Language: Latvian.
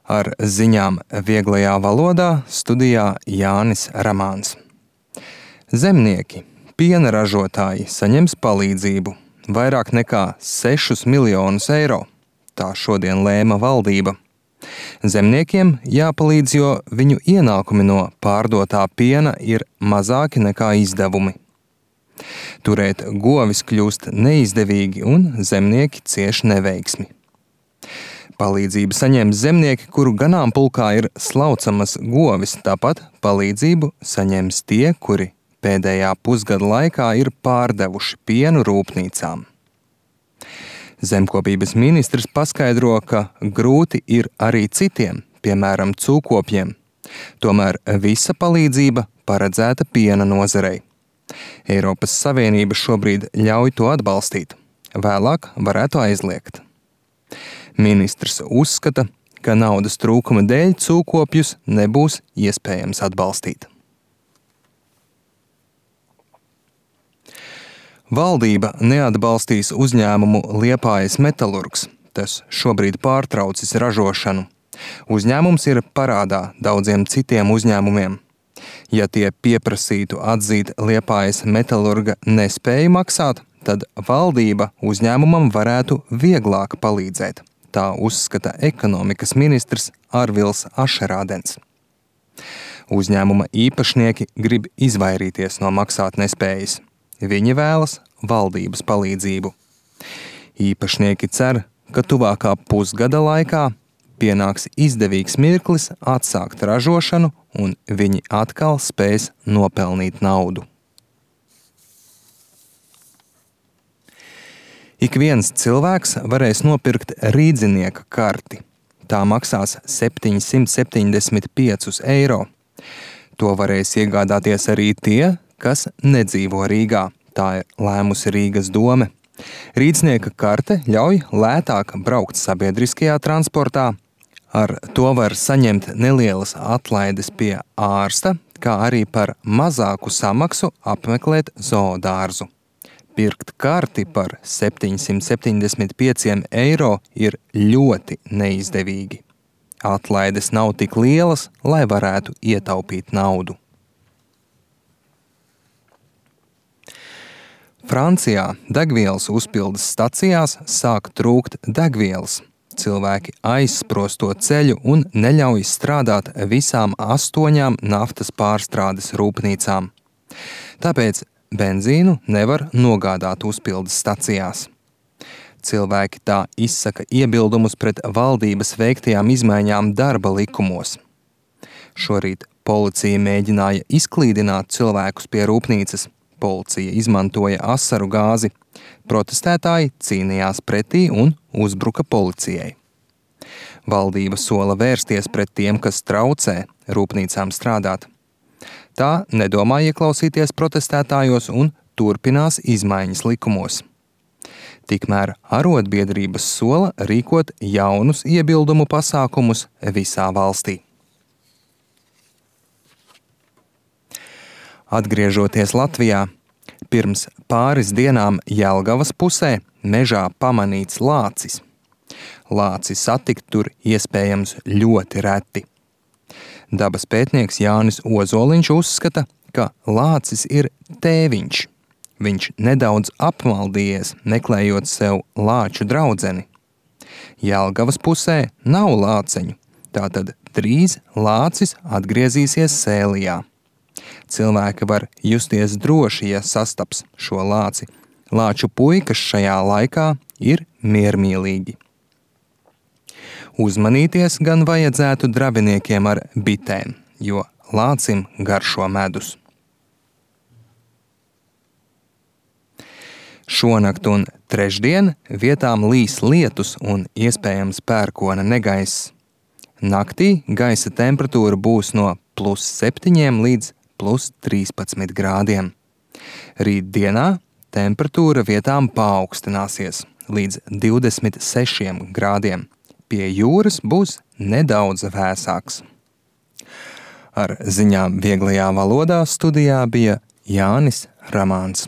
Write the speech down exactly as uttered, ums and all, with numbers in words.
Ar ziņām vieglajā valodā studijā Jānis Ramāns. Zemnieki, piena ražotāji saņems palīdzību vairāk nekā sešus miljonus eiro. Tā šodien lēma valdība. Zemniekiem jāpalīdz, jo viņu ienākumi no pārdotā piena ir mazāki nekā izdevumi. Turēt govis kļūst neizdevīgi un zemnieki cieš neveiksmi. Palīdzību saņems zemnieki, kuru ganāmpulkā ir slaucamas govis, tāpat palīdzību saņems tie, kuri pēdējā pusgada laikā ir pārdevuši pienu rūpnīcām. Zemkopības ministrs paskaidro, ka grūti ir arī citiem, piemēram, cūkopjiem. Tomēr visa palīdzība paredzēta piena nozarei. Eiropas Savienība šobrīd ļauj to atbalstīt, vēlāk varētu aizliegt. Ministrs uzskata, ka naudas trūkuma dēļ cūkopjus nebūs iespējams atbalstīt. Valdība neatbalstīs uzņēmumu Liepājas Metalurgs. Tas šobrīd pārtraucis ražošanu. Uzņēmums ir parādā daudziem citiem uzņēmumiem. Ja tie pieprasītu atzīt Liepājas Metalurga nespēju maksāt, tad valdība uzņēmumam varētu vieglāk palīdzēt. Tā uzskata ekonomikas ministrs Arvils Ašerādens. Uzņēmuma īpašnieki grib izvairīties no maksāt nespējas. Viņi vēlas valdības palīdzību. Īpašnieki cer, ka tuvākā pusgada laikā pienāks izdevīgs mirklis atsākt ražošanu un viņi atkal spēs nopelnīt naudu. Ik viens cilvēks varēs nopirkt rīdzinieka karti. Tā maksās septiņsimt septiņdesmit piecus eiro. To varēs iegādāties arī tie, kas nedzīvo Rīgā. Tā ir lēmusi Rīgas dome. Rīdznieka karte ļauj lētāk braukt sabiedriskajā transportā. Ar to var saņemt nelielas atlaides pie ārsta, kā arī par mazāku samaksu apmeklēt zoodārzu. Pirkt karti par septiņsimt septiņdesmit pieciem eiro ir ļoti neizdevīgi. Atlaides nav tik lielas, lai varētu ietaupīt naudu. Francijā degvielas uzpildes stacijās sāk trūkt degvielas. Cilvēki aizsprosto ceļu un neļauj strādāt visām astoņām naftas pārstrādes rūpnīcām. Tāpēc benzīnu nevar nogādāt uzpildes stacijās. Cilvēki tā izsaka iebildumus pret valdības veiktajām izmaiņām darba likumos. Šorīt policija mēģināja izklīdināt cilvēkus pie rūpnīcas. Policija izmantoja asaru gāzi. Protestētāji cīnījās pretī un uzbruka policijai. Valdība sola vērsties pret tiem, kas traucē rūpnīcām strādāt. Tā nedomā ieklausīties protestētājos un turpinās izmaiņas likumos. Tikmēr arotbiedrības sola rīkot jaunus iebildumu pasākumus visā valstī. Atgriežoties Latvijā, pirms pāris dienām Jelgavas pusē mežā pamanīts lācis. Lāci satikt tur iespējams ļoti reti. Dabas pētnieks Jānis Ozoliņš uzskata, ka lācis ir tēviņš. Viņš nedaudz apmaldījies, meklējot sev lāču draudzeni. Jelgavas pusē nav lāceņu, tātad drīz lācis atgriezīsies Sēlijā. Cilvēki var justies droši, ja sastaps šo lāci. Lāču puikas šajā laikā ir miermīlīgi. Uzmanīties gan vajadzētu drabiniekiem ar bitēm, jo lācim garšo medus. Šonakt un trešdien vietām līs lietus un iespējams pērkona negaiss. Naktī gaisa temperatūra būs no plus septiņiem līdz plus trīspadsmit grādiem. Rīt dienā temperatūra vietām paaugstināsies līdz divdesmit sešiem grādiem. Pie jūras būs nedaudz vēsāks. Ar ziņām vieglajā valodā studijā bija Jānis Ramāns.